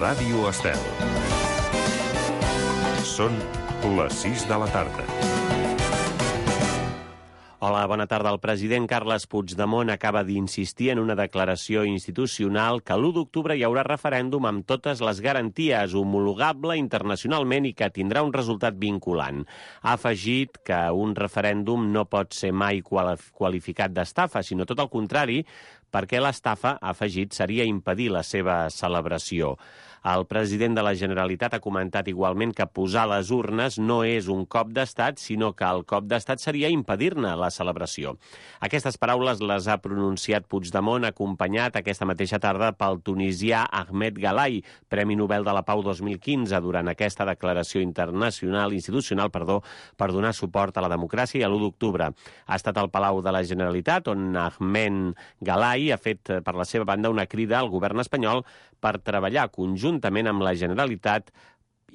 Ràdio Estel. Són les 6 de la tarda. Hola, bona tarda. El president Carles Puigdemont acaba d'insistir en una declaració institucional que l'1 d'octubre hi haurà referèndum amb totes les garanties, homologable internacionalment i que tindrà un resultat vinculant. Ha afegit que un referèndum no pot ser mai qualificat d'estafa, sinó tot el contrari, perquè l'estafa, ha afegit, seria impedir la seva celebració. El president de la Generalitat ha comentat igualment que posar les urnes no és un cop d'estat, sinó que el cop d'estat seria impedir-ne la celebració. Aquestes paraules les ha pronunciat Puigdemont, acompanyat aquesta mateixa tarda pel tunisià Ahmed Galay, Premi Nobel de la Pau 2015, durant aquesta declaració institucional, per donar suport a la democràcia i a l'1 d'octubre. Ha estat al Palau de la Generalitat, on Ahmed Galay ha fet per la seva banda una crida al govern espanyol per treballar conjuntament amb la Generalitat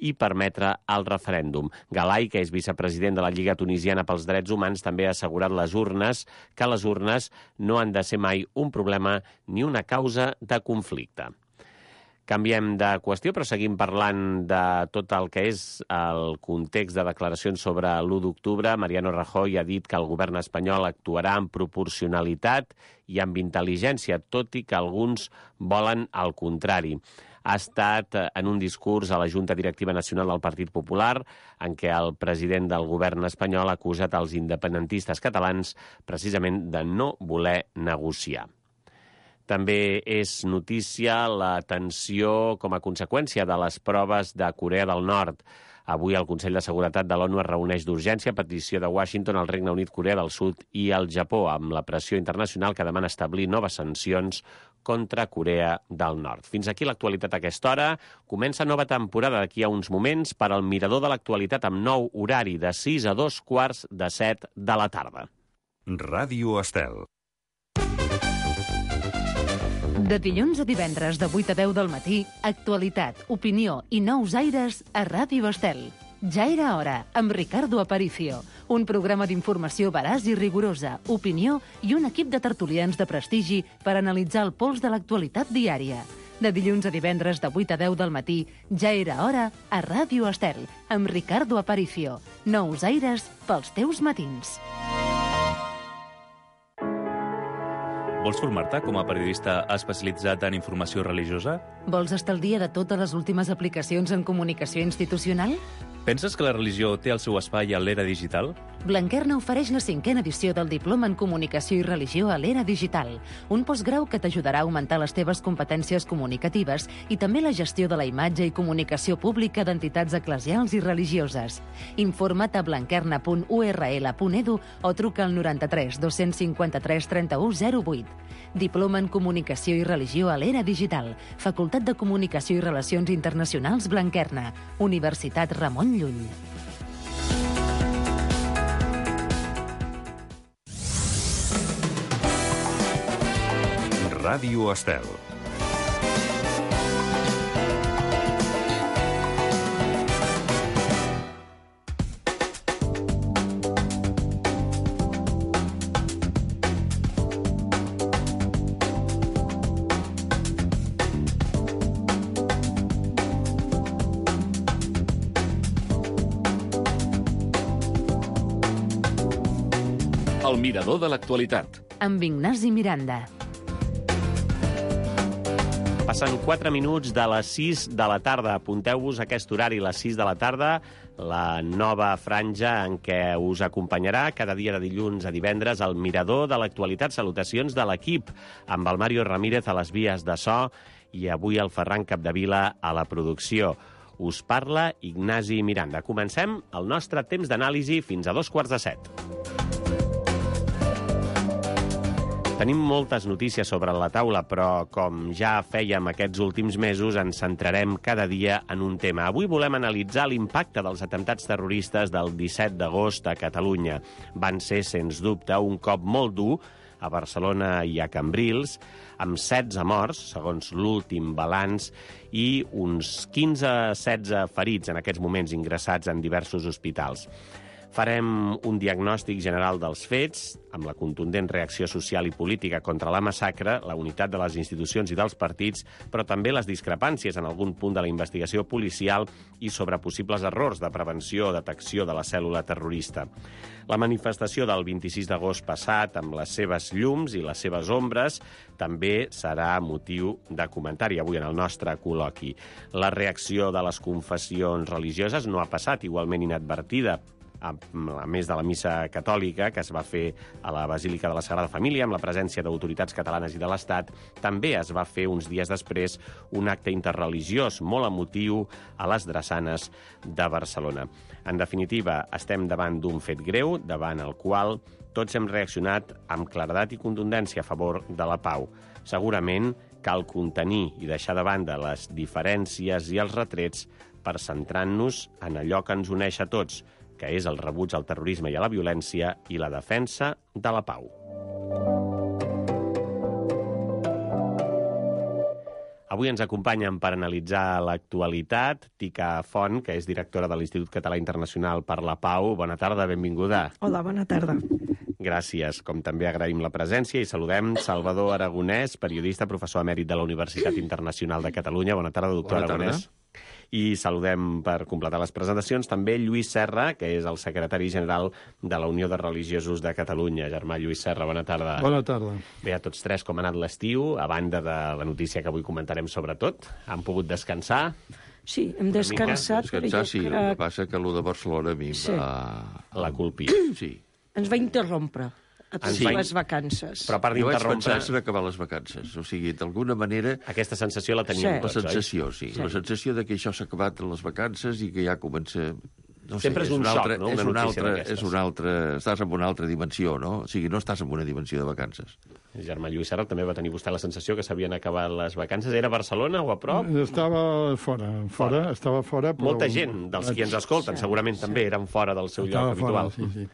i permetre el referèndum. Galay, que és vicepresident de la Lliga Tunisiana pels Drets Humans, també ha assegurat que les urnes no han de ser mai un problema ni una causa de conflicte. Canviem de qüestió, però seguim parlant de tot el que és el context de declaracions sobre l'1 d'octubre. Mariano Rajoy ha dit que el govern espanyol actuarà amb proporcionalitat i amb intel·ligència, tot i que alguns volen el contrari. Ha estat en un discurs a la Junta Directiva Nacional del Partit Popular en què el president del govern espanyol ha acusat els independentistes catalans precisament de no voler negociar. També és notícia la tensió com a conseqüència de les proves de Corea del Nord. Avui el Consell de Seguretat de l'ONU es reuneix d'urgència a petició de Washington, el Regne Unit, Corea del Sud i el Japó, amb la pressió internacional que demana establir noves sancions contra Corea del Nord. Fins aquí l'actualitat a aquesta hora. Comença nova temporada d'aquí a uns moments per al Mirador de l'Actualitat amb nou horari de 6 a 2:45 de la tarda. Ràdio Estel. De dilluns a divendres de 8 a 10 del matí, actualitat, opinió i nous aires a Ràdio Estel. Ja era hora, amb Ricardo Aparicio. Un programa d'informació veraç i rigorosa, opinió i un equip de tertulians de prestigi per analitzar el pols de l'actualitat diària. De dilluns a divendres de 8 a 10 del matí, ja era hora a Ràdio Estel, amb Ricardo Aparicio. Nous aires pels teus matins. Vols formar-te com a periodista especialitzat en informació religiosa? Vols estar al dia de totes les últimes aplicacions en comunicació institucional? Penses que la religió té el seu espai a l'era digital? Blanquerna ofereix la 5a edició del Diploma en Comunicació i Religió a l'era digital, un postgrau que t'ajudarà a augmentar les teves competències comunicatives i també la gestió de la imatge i comunicació pública d'entitats eclesials i religioses. Informa't a blanquerna.url.edu o truca al 93 253 31 08. Diploma en Comunicació i Religió a l'era digital, Facultat de Comunicació i Relacions Internacionals Blanquerna, Universitat Ramon Llull. Ràdio Estel. El Mirador de l'Actualitat. Amb Ignasi Miranda. Passen 4 minuts de les 6 de la tarda. Apunteu-vos a aquest horari, les 6 de la tarda, la nova franja en què us acompanyarà cada dia de dilluns a divendres el Mirador de l'Actualitat. Salutacions de l'equip, amb el Mario Ramírez a les vies de so i avui el Ferran Capdevila a la producció. Us parla Ignasi Miranda. Comencem el nostre temps d'anàlisi fins a 6:45. Tenim moltes notícies sobre la taula, però com ja fèiem aquests últims mesos, ens centrarem cada dia en un tema. Avui volem analitzar l'impacte dels atemptats terroristes del 17 d'agost a Catalunya. Van ser, sens dubte, un cop molt dur a Barcelona i a Cambrils, amb 16 morts, segons l'últim balanç, i uns 15-16 ferits en aquests moments ingressats en diversos hospitals. Farem un diagnòstic general dels fets, amb la contundent reacció social i política contra la massacre, la unitat de les institucions i dels partits, però també les discrepàncies en algun punt de la investigació policial i sobre possibles errors de prevenció o detecció de la cèl·lula terrorista. La manifestació del 26 d'agost passat, amb les seves llums i les seves ombres, també serà motiu de comentari avui en el nostre col·loqui. La reacció de les confessions religioses no ha passat igualment inadvertida, a més de la missa catòlica que es va fer a la Basílica de la Sagrada Família amb la presència d'autoritats catalanes i de l'Estat. També es va fer uns dies després un acte interreligiós molt emotiu a les drassanes de Barcelona. En definitiva, estem davant d'un fet greu, davant el qual tots hem reaccionat amb claredat i contundència a favor de la pau. Segurament cal contenir i deixar de banda les diferències i els retrets per centrar-nos en allò que ens uneix a tots, que és el rebuig al terrorisme i a la violència i la defensa de la pau. Avui ens acompanyen per analitzar l'actualitat Tica Font, que és directora de l'Institut Català Internacional per la Pau. Bona tarda, benvinguda. Hola, bona tarda. Gràcies. Com també agraïm la presència i saludem Salvador Aragonès, periodista, professor emèrit de la Universitat Internacional de Catalunya. Bona tarda, doctor Aragonès. I saludem, per completar les presentacions, també Lluís Serra, que és el secretari general de la Unió de Religiosos de Catalunya. Germà Lluís Serra, bona tarda. Bona tarda. Bé, a tots tres, com ha anat l'estiu, a banda de la notícia que avui comentarem sobretot? Han pogut descansar? Sí, hem descansat. Descansar, sí. El que passa que allò de Barcelona a mi La culpi. Sí. Ens va interrompre a totes les vacances. Però a part Jo vaig d'interrompre... pensar en acabar les vacances. O sigui, d'alguna manera... Aquesta sensació la teníem tots, La sensació, sí. La sensació de que això s'ha acabat en les vacances i que ja comença... No sé, Sempre és un xoc, no? Una notícia d'aquestes. És una altra... Estàs en una altra dimensió, no? O sigui, no estàs en una dimensió de vacances. Germà Lluís Serra, també va tenir vostè la sensació que s'havien acabat les vacances. Era a Barcelona o a prop? Estava estava fora. Però... Molta gent dels qui ens escolten segurament també eren fora del seu lloc habitual. Sí.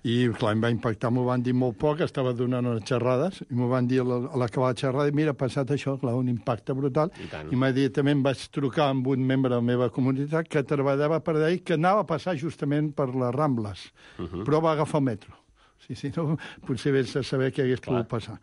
I, clar, em va impactar, m'ho van dir molt poc, estava donant unes xerrades, i m'ho van dir a l'acabar la xerrada, i mira, ha passat això, clar, un impacte brutal, i immediatament vaig trucar amb un membre de la meva comunitat que treballava per allà, que anava a passar justament per les Rambles, però va agafar el metro. Si no, potser vés a saber què hagués pogut passar.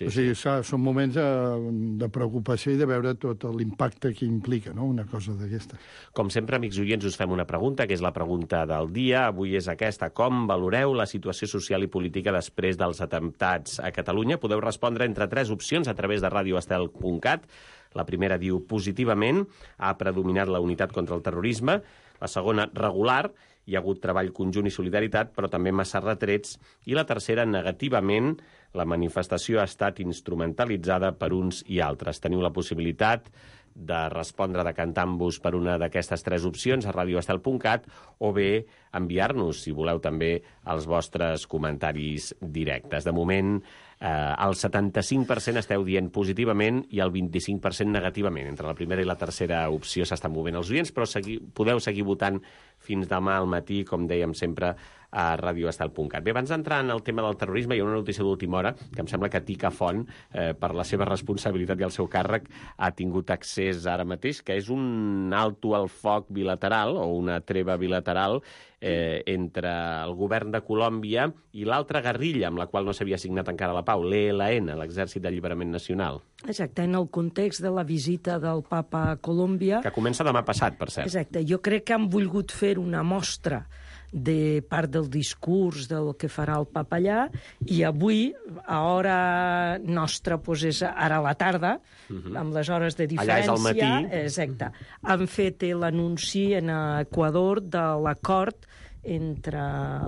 O sigui, són moments de preocupació i de veure tot l'impacte que implica, no?, una cosa d'aquesta. Com sempre, amics oients, us fem una pregunta, que és la pregunta del dia. Avui és aquesta. Com valoreu la situació social i política després dels atemptats a Catalunya? Podeu respondre entre 3 opcions a través de radioestel.cat. La primera diu positivament, ha predominat la unitat contra el terrorisme. La segona, regular, hi ha hagut treball conjunt i solidaritat, però també massa retrets. I la tercera, negativament, la manifestació ha estat instrumentalitzada per uns i altres. Teniu la possibilitat de respondre decantant-vos per una d'aquestes 3 opcions a radioestel.cat o bé enviar-nos, si voleu, també els vostres comentaris directes. De moment, el 75% esteu dient positivament i el 25% negativament. Entre la primera i la tercera opció s'estan movent els oients, però podeu seguir votant fins demà al matí, com dèiem sempre, a radioestel.cat. Bé, abans d'entrar en el tema del terrorisme, hi ha una notícia d'última hora que em sembla que Tica Font, per la seva responsabilitat i el seu càrrec, ha tingut accés ara mateix, que és un alto al foc bilateral, o una treva bilateral, entre el govern de Colòmbia i l'altra guerrilla amb la qual no s'havia signat encara la pau, l'ELN, l'Exèrcit d'Alliberament Nacional. Exacte, en el context de la visita del papa a Colòmbia... Que comença demà passat, per cert. Exacte, jo crec que han volgut fer una mostra de part del discurs del que farà el papa allà, i avui, a hora nostra, doncs és ara a la tarda, amb les hores de diferència... Allà és al matí. Exacte. Han fet l'anunci en Equador de l'acord entre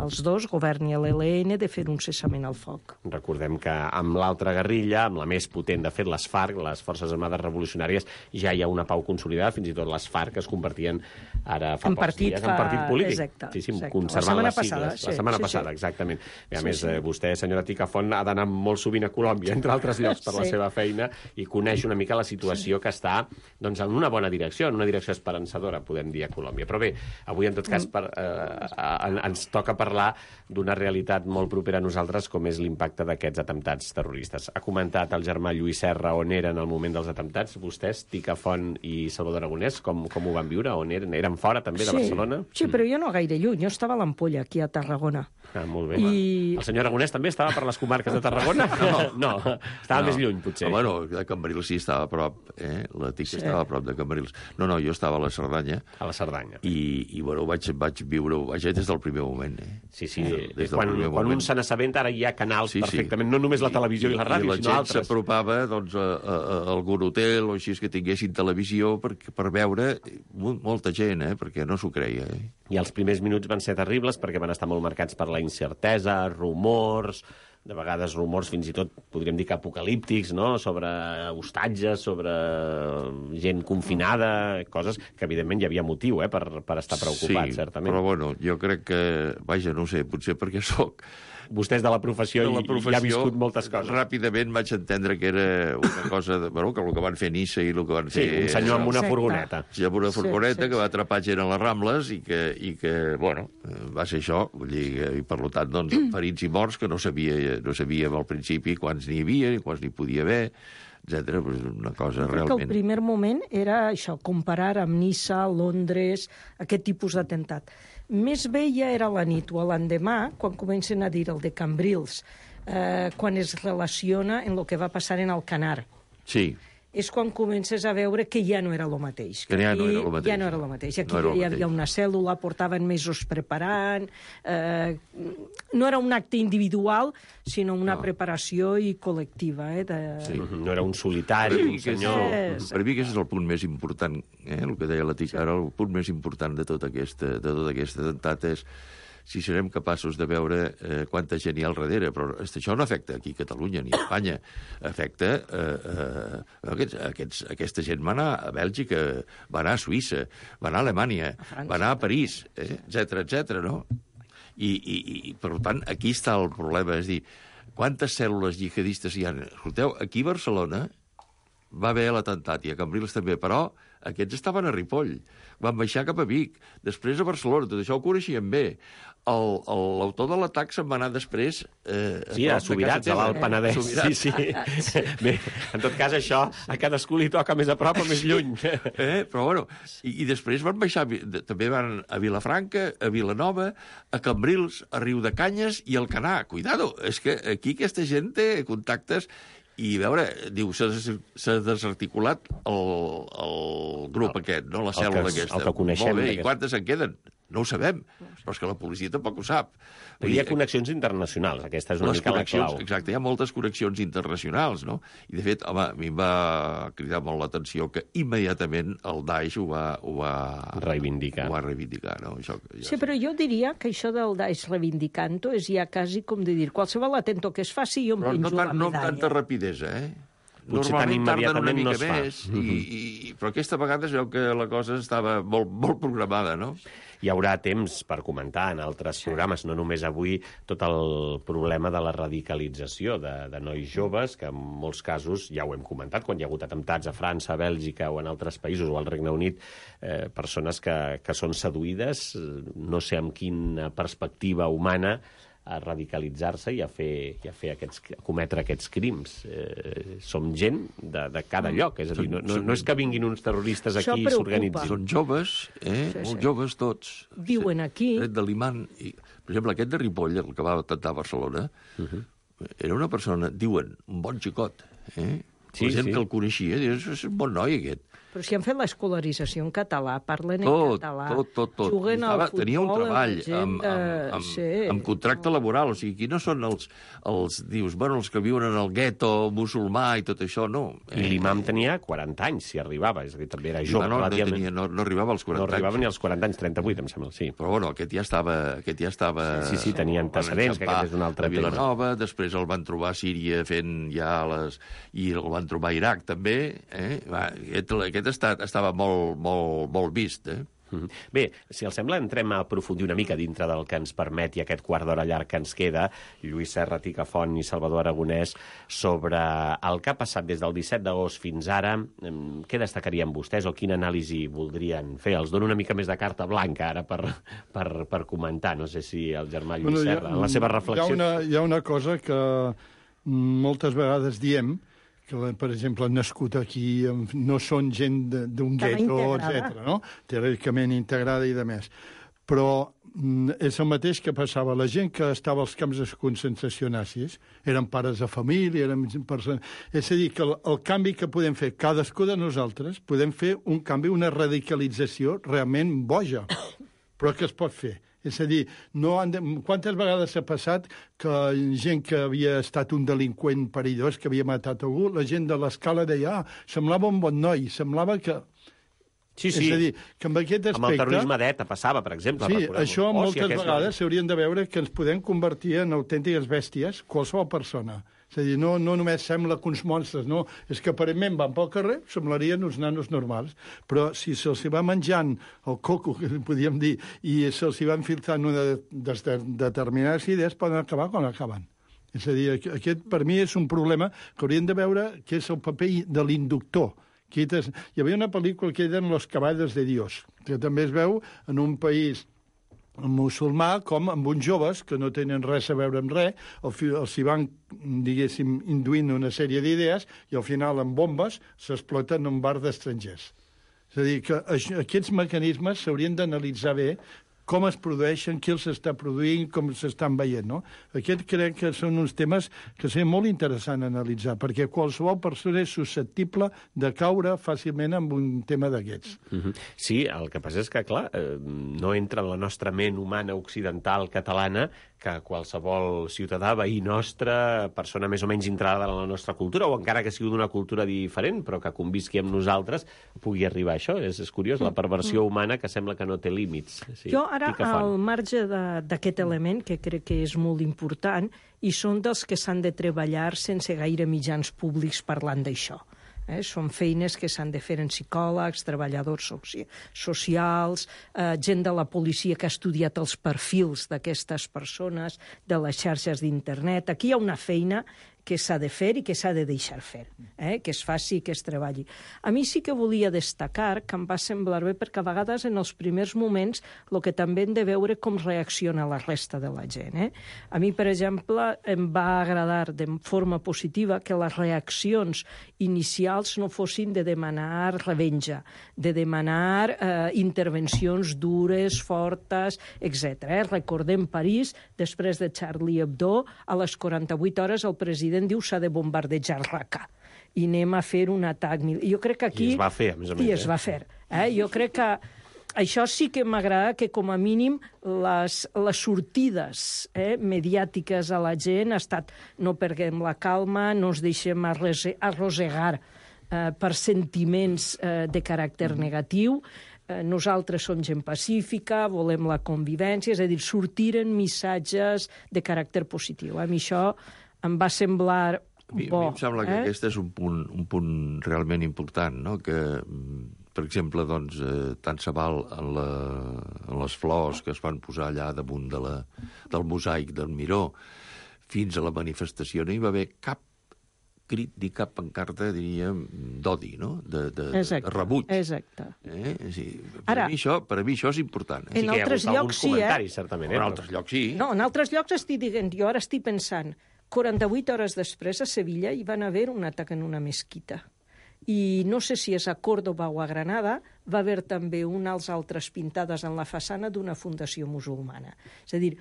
els dos, govern i l'ELN, de fer un cessament al foc. Recordem que amb l'altra guerrilla, amb la més potent, de fet, les FARC, les Forces Armades Revolucionàries, ja hi ha una pau consolidada, fins i tot les FARC es convertien ara fa pocs dies en partit polític. Exacte. Sí, conservant les sigles. La setmana passada, exactament. I a més, vostè, senyora Tica Font, ha d'anar molt sovint a Colòmbia, entre altres llocs, per la seva feina, i coneix una mica la situació que està en una bona direcció, en una direcció esperançadora, podem dir, a Colòmbia. Però bé, avui, en tot cas, ens toca parlar d'una realitat molt propera a nosaltres, com és l'impacte d'aquests atemptats terroristes. Ha comentat el germà Lluís Serra on era en el moment dels atemptats. Vostès, Tica Font i Salvador Aragonès, com ho van viure? On eren? Eren fora, també, de Barcelona? Sí, però jo no gaire lluny. Jo estava a l'Ampolla, aquí a Tarragona. Ah, molt bé. El senyor Aragonès també estava per les comarques de Tarragona? No, estava més lluny, potser. Bueno, a Cambrils sí estava a prop, la Tica estava a prop de Cambrils. No, jo estava a la Cerdanya. A la Cerdanya. I bueno, vaig viure-ho, des del primer moment. Sí. Quan un se n'assabenta, ara hi ha canals perfectament, no només la televisió i la ràdio, sinó altres. I la gent s'apropava a algun hotel o així que tinguessin televisió per veure molta gent, perquè no s'ho creia. I els primers minuts van ser terribles perquè van estar molt marcats per la incertesa, rumors, de vegades rumors fins i tot, podríem dir que apocalíptics, no?, sobre hostatges, sobre gent confinada, coses que evidentment hi havia motiu per estar preocupat, certament. Sí, però bueno, jo crec que, no sé, potser perquè sóc... Vostè és de la professió i ha viscut moltes coses. Ràpidament vaig entendre que era una cosa... que el que van fer a Niça i el que van fer... Sí, un senyor amb una furgoneta. Sí, amb una furgoneta que va atrapar gent a les Rambles i que va ser això. Vull dir, i per tant, doncs, ferits i morts que no sabíem al principi quants n'hi havia i quants n'hi podia haver, etcètera. Una cosa realment... Que el primer moment era això, comparar amb Niça, Londres, aquest tipus d'atemptat. Més vella era la nit o l'endemà, quan comencen a dir el de Cambrils, quan es relaciona en el que va passar en Alcanar. Sí. És quan comences a veure que ja no era el mateix. Que ja no era el mateix. Ja no era el mateix. Aquí hi havia una cèl·lula, portaven mesos preparant... No era un acte individual, sinó una preparació i col·lectiva. No era un solitari, un senyor... Per mi aquest és el punt més important, el que deia la Tica, ara el punt més important de tot aquest atemptat és si serem capaços de veure quanta gent hi ha al darrere. Però això no afecta aquí a Catalunya ni a Espanya. Afecta... Aquesta gent va anar a Bèlgica, va anar a Suïssa, va anar a Alemanya, va anar a París, etcètera, no? I, per tant, aquí està el problema. És a dir, quantes cèl·lules jihadistes hi ha? Escolteu, aquí a Barcelona va haver l'atemptat, i a Cambrils també, però aquests estaven a Ripoll, van baixar cap a Vic, després a Barcelona, tot això ho coneixien bé. L'autor de l'atac se'n va anar després... Sí, a Subirats, a l'Alt Penedès. Sí. Bé, en tot cas, això a cadascú li toca més a prop o més lluny. Però, bueno, i després van baixar... També van a Vilafranca, a Vilanova, a Cambrils, a Riudecanyes i a Alcanar. Cuidado, és que aquí aquesta gent té contactes... I, a veure, diu, s'ha desarticulat el grup aquest, no? La cèl·lula aquesta. El que coneixem. Molt bé, i quantes en queden? No ho sabem, però és que la policia tampoc ho sap. Hi ha connexions internacionals, aquesta és una mica la clau. Exacte, hi ha moltes connexions internacionals, no? I, de fet, home, a mi em va cridar molt l'atenció que immediatament el Daesh ho va reivindicar. No? Sí, però jo diria que això del Daesh reivindicant-ho és ja quasi com de dir, qualsevol atento que es faci jo em penjo la medalla. No amb tanta rapidesa, Potser tan immediatament no es fa. Però aquesta vegada es veu que la cosa estava molt programada, no? Hi haurà temps per comentar en altres programes, no només avui, tot el problema de la radicalització de nois joves, que en molts casos, ja ho hem comentat, quan hi ha hagut atemptats a França, a Bèlgica o en altres països, o al Regne Unit, persones que són seduïdes, no sé amb quina perspectiva humana, a radicalitzar-se i a cometre aquests crims. Som gent de cada lloc, és a dir, no és que vinguin uns terroristes aquí i s'organitzin. Són joves, molt joves tots. Viuen aquí. De l'imant. Per exemple, aquest de Ripoll, el que va atemptar a Barcelona, era una persona, diuen, un bon xicot. La gent que el coneixia, és un bon noi, aquest. Però si han fet l'escolarització en català, parlen en català, juguen al futbol... Tenia un treball amb contracte laboral, o sigui, aquí no són els dius, bueno, els que viuen en el gueto musulmà i tot això, no. I l'imam tenia 40 anys, si arribava, és a dir, també era jove. No arribava als 40 anys. No arribava ni als 40 anys, 38, em sembla, sí. Però, bueno, aquest ja estava... Sí, tenia antecedents, que aquest és un altre tema. A Vilanova, després el van trobar a Síria fent ja i el van trobar a Iraq, també. Aquest estava molt vist, Bé, si els sembla, entrem a aprofundir una mica dintre del que ens permeti aquest quart d'hora llarg que ens queda, Lluís Serra, Tica Font i Salvador Aragonès, sobre el que ha passat des del 17 d'agost fins ara. Què destacarien vostès o quina anàlisi voldrien fer? Els dono una mica més de carta blanca ara per comentar. No sé si el germà Lluís Serra, en la seva reflexió... Hi ha una cosa que moltes vegades diem, que, per exemple, han nascut aquí, no són gent d'un gueto, etc. No? Teòricament integrada i de més. Però és el mateix que passava. La gent que estava als camps de concentració nazis eren pares de família, eren persones... És a dir, que el canvi que podem fer cadascú de nosaltres, podem fer un canvi, una radicalització realment boja, però que es pot fer. És a dir, quantes vegades ha passat que gent que havia estat un delinqüent perillós, que havia matat algú, la gent de l'escala deia, semblava un bon noi, semblava que... Sí. És a dir, que amb aquest aspecte... Amb el terrorisme d'ETA passava, per exemple. Sí, això moltes vegades s'haurien de veure que ens podem convertir en autèntiques bèsties, qualsevol persona. És a dir, no només sembla que uns monstres, no. És que aparentment van pel carrer, semblarien uns nanos normals. Però si se'ls va menjant el coco, que podríem dir, i se'ls va infiltrant una determinades idees, poden acabar quan acaben. És a dir, aquest per mi és un problema que hauríem de veure que és el paper de l'inductor. Hi havia una pel·lícula que eren Los caballos de Dios, que també es veu en un país musulmà com amb uns joves que no tenen res a veure amb res, els hi van, diguéssim, induint una sèrie d'idees i al final amb bombes s'exploten en un bar d'estrangers. És a dir, que aquests mecanismes s'haurien d'analitzar bé, com es produeixen, qui els està produint, com s'estan veient, no? Aquest crec que són uns temes que seria molt interessant analitzar, perquè qualsevol persona és susceptible de caure fàcilment en un tema d'aquests. Sí, el que passa és que, clar, no entra en la nostra ment humana occidental catalana que qualsevol ciutadà, veí nostre, persona més o menys entrada en la nostra cultura, o encara que sigui d'una cultura diferent, però que convisqui amb nosaltres, pugui arribar a això. És curiós, la perversió humana que sembla que no té límits. Sí, jo ara, al marge d'aquest element, que crec que és molt important, i són dels que s'han de treballar sense gaire mitjans públics parlant d'això. Són feines que s'han de fer en psicòlegs, treballadors socials, gent de la policia que ha estudiat els perfils d'aquestes persones, de les xarxes d'internet. Aquí hi ha una feina que s'ha de fer i que s'ha de deixar fer, que es faci i que es treballi. A mi sí que volia destacar, que em va semblar bé, perquè a vegades en els primers moments el que també hem de veure com reacciona la resta de la gent. A mi, per exemple, em va agradar de forma positiva que les reaccions inicials no fossin de demanar revenja, de demanar intervencions dures, fortes, etc. Recordem París, després de Charlie Hebdo, a les 48 hores el president diu s'ha de bombardejar Raqqa i anem a fer un atac. Jo crec que aquí... I es va fer, a més a més. I es va fer. Jo crec que això sí que m'agrada, que com a mínim les sortides mediàtiques a la gent ha estat no perdem la calma, no ens deixem arrossegar per sentiments de caràcter negatiu, nosaltres som gent pacífica, volem la convivència, és a dir, sortiren missatges de caràcter positiu. A mi això em va semblar bo. A mi em sembla que aquest és un punt realment important, no? Que, per exemple, doncs, tant se val en les flors que es van posar allà damunt del mosaic del Miró, fins a la manifestació no hi va haver cap crit ni cap pancarta, diríem, d'odi, no? De rebuig. Exacte. Sí, per mi això és important. En altres llocs sí, certament. En altres llocs sí. No, en altres llocs estic dient, jo ara estic pensant, 48 hores després a Sevilla hi van haver un atac en una mesquita. I no sé si és a Còrdova o a Granada, va haver també unes altres pintades en la façana d'una fundació musulmana. És a dir,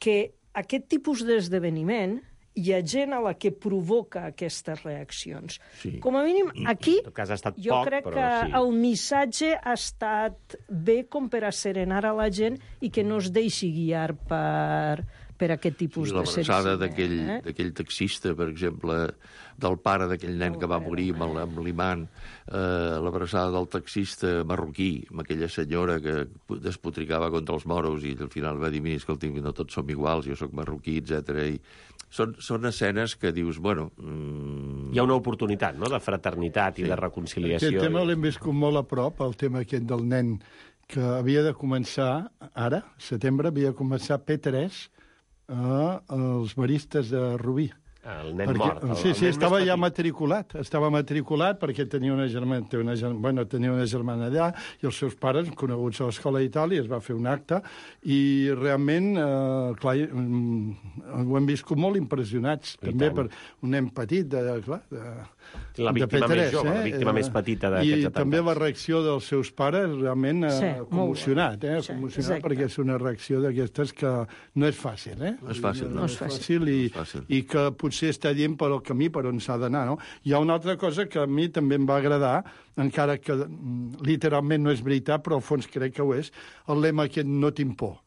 que aquest tipus d'esdeveniment hi ha gent a la que provoca aquestes reaccions. Sí. Com a mínim, aquí jo crec que el missatge ha estat bé com per a serenar a la gent i que no es deixi guiar per aquest tipus de l'abraçada d'aquell taxista, per exemple, del pare d'aquell nen que va morir amb l'imant, l'abraçada del taxista marroquí, amb aquella senyora que despotricava contra els moros i al final va dir, mira, escolti, no tots som iguals, jo sóc marroquí, etc. I són escenes que dius, bueno... Hi ha una oportunitat, no?, de fraternitat i de reconciliació. Aquest tema l'hem viscut molt a prop, el tema aquest del nen que havia de començar, ara, setembre, havia de començar P3 als maristes de Rubí. El nen mort. Sí, estava ja matriculat. Estava matriculat perquè tenia una germana allà i els seus pares, coneguts a l'escola d'Itàlia, es va fer un acte i realment, clar, ho hem viscut molt impressionats, també per un nen petit, la víctima P3, més jove, la víctima més petita d'aquests atemptats. I també la reacció dels seus pares, realment commocionat, perquè és una reacció d'aquestes que no és fàcil, No és fàcil, no és fàcil i que potser està dient per el camí per on s'ha d'anar, no? Hi ha una altra cosa que a mi també em va agradar, encara que literalment no és veritat, però al fons crec que ho és, el lema aquest no tinc por.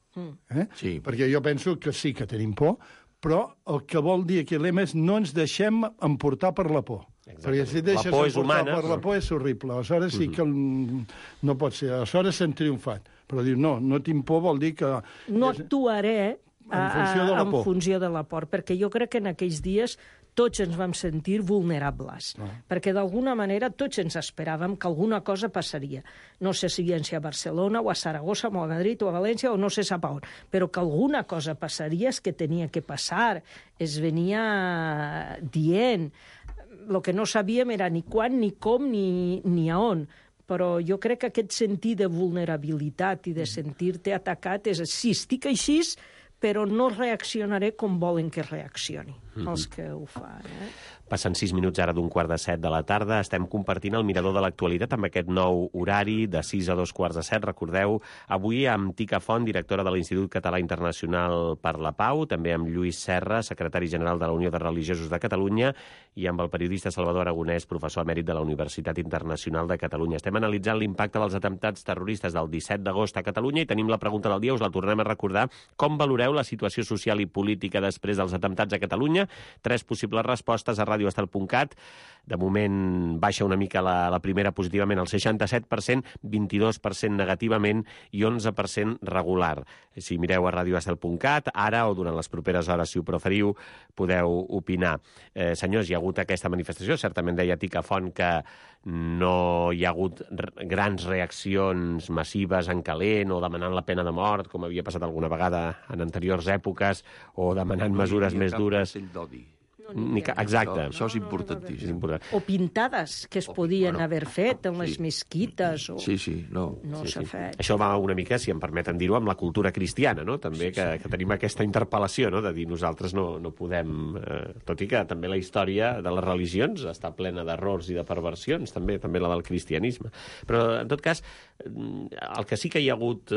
Sí. Perquè jo penso que sí que tenim por, però el que vol dir aquest lema és no ens deixem emportar per la por. Perquè si deixes emportar per la por és horrible. Aleshores sí que no pot ser. Aleshores s'han triomfat. Però dir no tinc por vol dir que... No actuaré en funció de la por, perquè jo crec que en aquells dies tots ens vam sentir vulnerables, perquè d'alguna manera tots ens esperàvem que alguna cosa passaria. No sé si a Barcelona o a Saragossa o a Madrid o a València o no sé sap on, però que alguna cosa passaria és que tenia que passar, es venia dient. El que no sabíem era ni quan, ni com, ni a on. Però jo crec que aquest sentit de vulnerabilitat i de sentir-te atacat és sí, estic així, però no reaccionaré com volen que reaccioni els que ho fan. Passen 6 minuts ara d'un 6:15 de la tarda. Estem compartint el mirador de l'actualitat amb aquest nou horari de 6 a 2:15. Recordeu, avui amb Tica Font, directora de l'Institut Català Internacional per la Pau, també amb Lluís Serra, secretari general de la Unió de Religiosos de Catalunya, i amb el periodista Salvador Aragonès, professor emèrit de la Universitat Internacional de Catalunya. Estem analitzant l'impacte dels atemptats terroristes del 17 d'agost a Catalunya i tenim la pregunta del dia, us la tornem a recordar. Com valoreu la situació social i política després dels atemptats a Catalunya? 3 possibles respostes a radioestel.cat. De moment baixa una mica la primera positivament, el 67%, 22% negativament i 11% regular. Si mireu a radioestel.cat, ara o durant les properes hores, si ho preferiu, podeu opinar. Senyors, hi ha hagut aquesta manifestació. Certament deia Tica Font que no hi ha hagut grans reaccions massives en calent o demanant la pena de mort, com havia passat alguna vegada en anteriors èpoques, o demanant mesures més dures. Exacte. Això és importantíssim. O pintades que es podien haver fet en les mesquites. Sí, no s'ha fet. Això va una mica, si em permeten dir-ho, amb la cultura cristiana, no? També que tenim aquesta interpel·lació, no? De dir nosaltres no podem... Tot i que també la història de les religions està plena d'errors i de perversions, també la del cristianisme. Però, en tot cas, el que sí que hi ha hagut...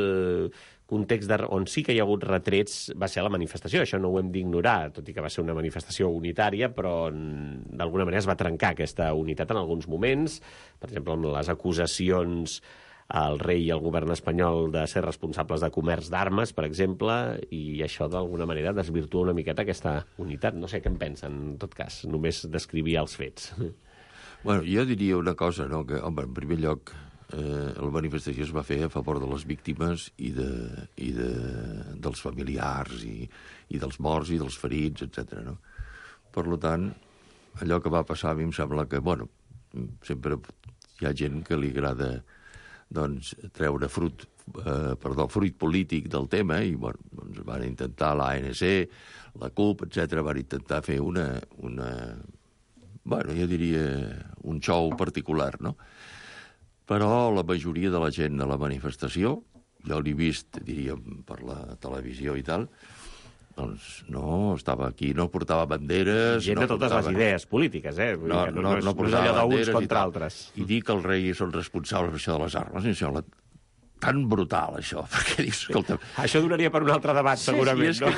context on sí que hi ha hagut retrets va ser la manifestació. Això no ho hem d'ignorar, tot i que va ser una manifestació unitària, però d'alguna manera es va trencar aquesta unitat en alguns moments, per exemple, amb les acusacions al rei i al govern espanyol de ser responsables de comerç d'armes, per exemple, i això d'alguna manera desvirtua una miqueta aquesta unitat. No sé què en pensen, en tot cas, només descrivir els fets. Bueno, jo diria una cosa, no? Que, home, en primer lloc, la manifestació es va fer a favor de les víctimes i dels familiars i dels morts i dels ferits, etc. No? Per tant, allò que va passar a mi em sembla que, bueno, sempre hi ha gent que li agrada doncs, treure fruit polític del tema i bueno, doncs van intentar l'ANC, la CUP, etc. van intentar fer bueno, jo diria un show particular, no? Però la majoria de la gent a la manifestació, jo l'he vist, diríem, per la televisió i tal, doncs no estava aquí, no portava banderes... Gent de totes les idees polítiques, No portava banderes contra altres. I dir que el rei és el responsable per això de les armes, això tan brutal, això, perquè dius, escolta... Això donaria per un altre debat, segurament, no?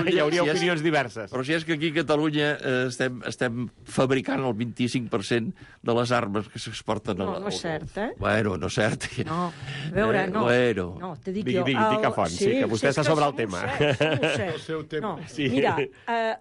Hi hauria opinions diverses. Però si és que aquí a Catalunya estem fabricant el 25% de les armes que s'exporten... No és cert, Bueno, no és cert. No, a veure, no. No, te dic jo... Digui Font, sí, que vostè està sobre el tema. El seu tema. Mira,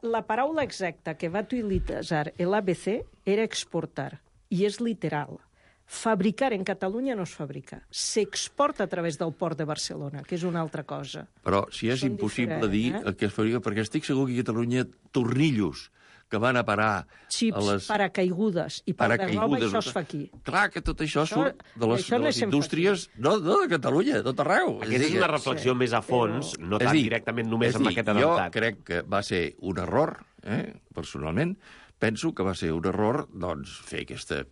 la paraula exacta que va utilitzar l'ABC era exportar, i és literal. Fabricar en Catalunya no es fabrica. S'exporta a través del port de Barcelona, que és una altra cosa. Però si és impossible dir el que es fabrica, perquè estic segur que a Catalunya tornillos que van a parar xips, a les... paracaigudes i roba, això es fa aquí. Clar que tot això surt de les indústries, no de Catalunya, de tot arreu. Aquesta és una reflexió més a fons, no tan directament només amb aquest atemptat. Jo crec que va ser un error, personalment, penso que va ser un error doncs, fer aquesta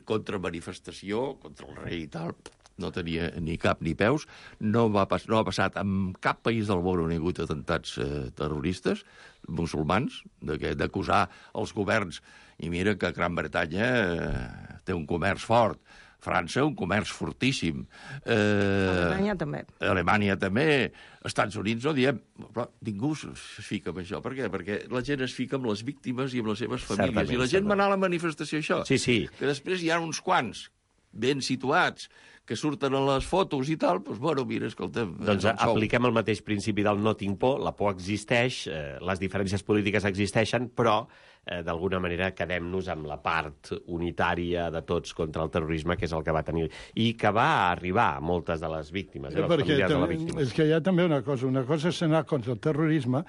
contramanifestació contra el rei i tal. No tenia ni cap ni peus. No ha passat en cap país del món on hi ha hagut atemptats terroristes musulmans, d'acusar els governs. I mira que Gran Bretanya té un comerç fort, França un comerç fortíssim. Alemanya també. Estats Units no diem... Però ningú es fica amb això. Per què? Perquè la gent es fica amb les víctimes i amb les seves famílies. I la gent va anar a la manifestació, això. Sí. Que després hi ha uns quants ben situats que surten a les fotos i tal, doncs, bueno, mira, escolta'm... Doncs apliquem el mateix principi del no tinc por, la por existeix, les diferències polítiques existeixen, però d'alguna manera quedem-nos amb la part unitària de tots contra el terrorisme, que és el que va tenir, i que va arribar a moltes de les víctimes, els familiars de la víctima. És que hi ha també una cosa és anar contra el terrorisme,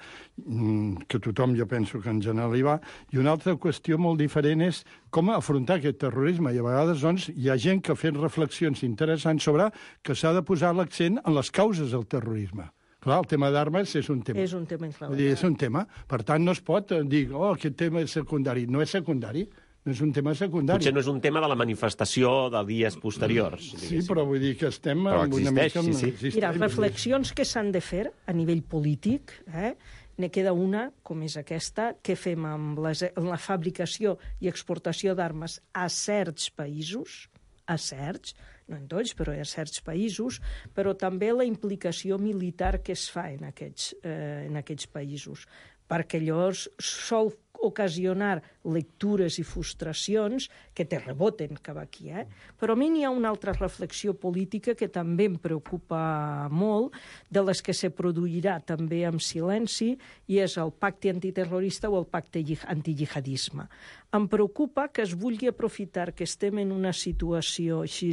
que tothom jo penso que en general hi va, i una altra qüestió molt diferent és com afrontar aquest terrorisme, i a vegades doncs, hi ha gent que ha fet reflexions interessants sobre que s'ha de posar l'accent en les causes del terrorisme. Clar, el tema d'armes és un tema. És un tema és un tema. Per tant, no es pot dir aquest tema és secundari. No és secundari. No és un tema secundari. Potser no és un tema de la manifestació de dies posteriors. Sí, però vull dir que estem... Però existeix, una mica... sí. Mira, reflexions que s'han de fer a nivell polític, ne queda una, com és aquesta, que fem amb la fabricació i exportació d'armes a certs països, no en tots, però a certs països, però també la implicació militar que es fa en aquests països, perquè llavors sol ocasionar lectures i frustracions que te reboten cap aquí. Però a mi n'hi ha una altra reflexió política que també em preocupa molt, de les que se produirà també amb silenci, i és el pacte antiterrorista o el pacte antijihadisme. Em preocupa que es vulgui aprofitar que estem en una situació així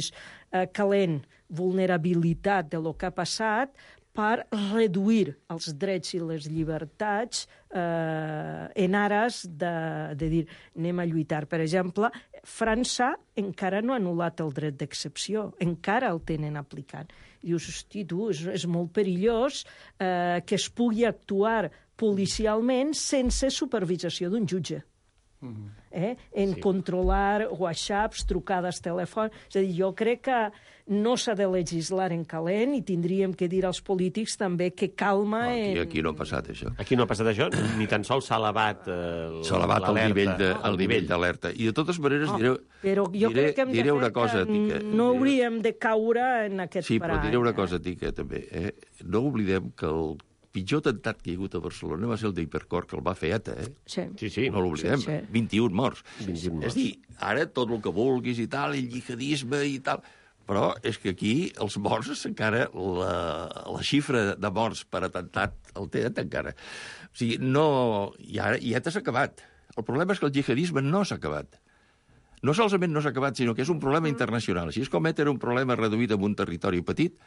calent, vulnerabilitat de lo que ha passat, per reduir els drets i les llibertats en ares de dir anem a lluitar. Per exemple, França encara no ha anul·lat el dret d'excepció, encara el tenen aplicant. I dius, hosti, tu, és molt perillós que es pugui actuar policialment sense supervisació d'un jutge. Controlar whatsapps, trucades telefòniques... És a dir, jo crec que no s'ha de legislar en calent i tindríem que dir als polítics també que calma... Aquí no ha passat això. Aquí no ha passat això, ni tan sols s'ha elevat el nivell d'alerta. I de totes maneres però jo crec que diré una cosa, Tica. No hauríem de caure en aquest parany. Sí, però diré una cosa, Tica, també. No oblidem que el pitjor atemptat que hi ha hagut a Barcelona va ser el d'Hipercor, que el va fer ETA, Sí. No l'oblidem. Sí. 21 morts. És dir, ara tot el que vulguis i tal, el jihadisme i tal... Però és que aquí els morts encara, la xifra de morts per atemptat el té encara. O sigui, no... I ETA s'ha acabat. El problema és que el jihadisme no s'ha acabat. No solament no s'ha acabat, sinó que és un problema internacional. Així és com ETA era un problema reduït en un territori petit,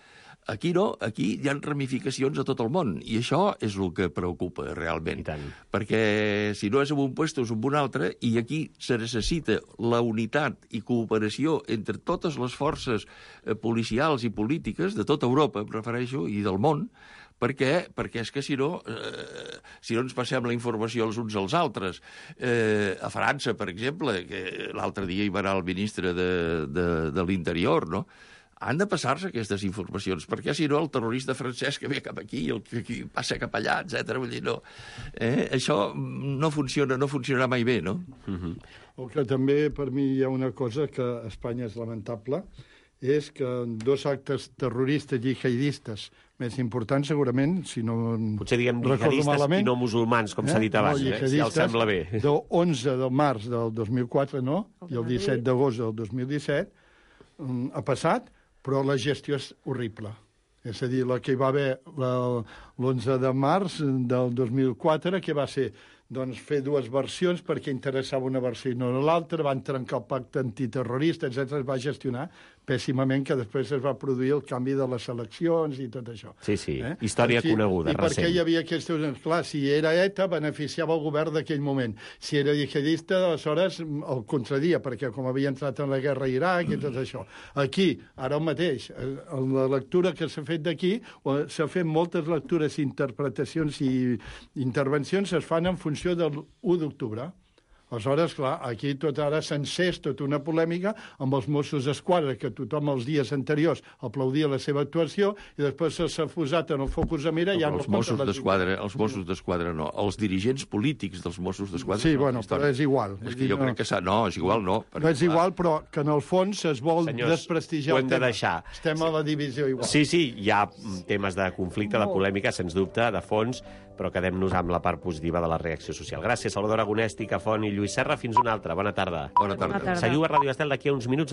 aquí no, aquí hi ha ramificacions a tot el món, i això és el que preocupa realment. Perquè si no és en un lloc és en un altre, i aquí se necessita la unitat i cooperació entre totes les forces policials i polítiques de tota Europa, em refereixo, i del món, perquè és que si no ens passem la informació els uns als altres. A França, per exemple, que l'altre dia hi va anar el ministre de l'Interior, no?, han de passar-se aquestes informacions, perquè si no el terrorista francès que ve cap aquí, el que passa cap allà, etc. Vull dir, no. Això no funcionarà mai bé, no? El que també per mi hi ha una cosa que a Espanya és lamentable, és que dos actes terroristes jihadistes més importants, segurament, si no potser diguem jihadistes i no musulmans, com s'ha dit abans, si els sembla bé. Del 11 de març del 2004, no? I el 17 d'agost del 2017 ha passat, però la gestió és horrible. És a dir, la que hi va haver l'11 de març del 2004, que va ser doncs, fer dues versions perquè interessava una versió i no l'altra, van trencar el pacte antiterrorista, etc. Es va gestionar pèssimament, que després es va produir el canvi de les eleccions i tot això. Sí, història coneguda, recent. I perquè hi havia aquests... Clar, si era ETA, beneficiava el govern d'aquell moment. Si era jihadista, aleshores el concedia, perquè com havia entrat en la guerra a Iraq i tot això. Aquí, ara el mateix, la lectura que s'ha fet d'aquí, s'ha fet moltes lectures, interpretacions i intervencions, es fan en funció del 1 d'octubre. Aleshores, clar, aquí tot ara s'encès tota una polèmica amb els Mossos d'Esquadra, que tothom els dies anteriors aplaudia la seva actuació i després s'ha posat en el focus de mira... Els Mossos d'Esquadra no, els dirigents polítics dels Mossos d'Esquadra... Sí, bueno, però és igual. És que jo crec que no, és igual, no. No és igual, però que en el fons es vol desprestigiar el tema. Ho hem de deixar. Estem a la divisió igual. Sí, hi ha temes de conflicte, de polèmica, sens dubte, de fons, però quedem-nos amb la part positiva de la reacció social. Gràcies, Salvador Agonès, Tica Font i Lluís Serra. Fins una altra. Bona tarda. Bona tarda. Seguiu a Ràdio Estel d'aquí a uns minuts.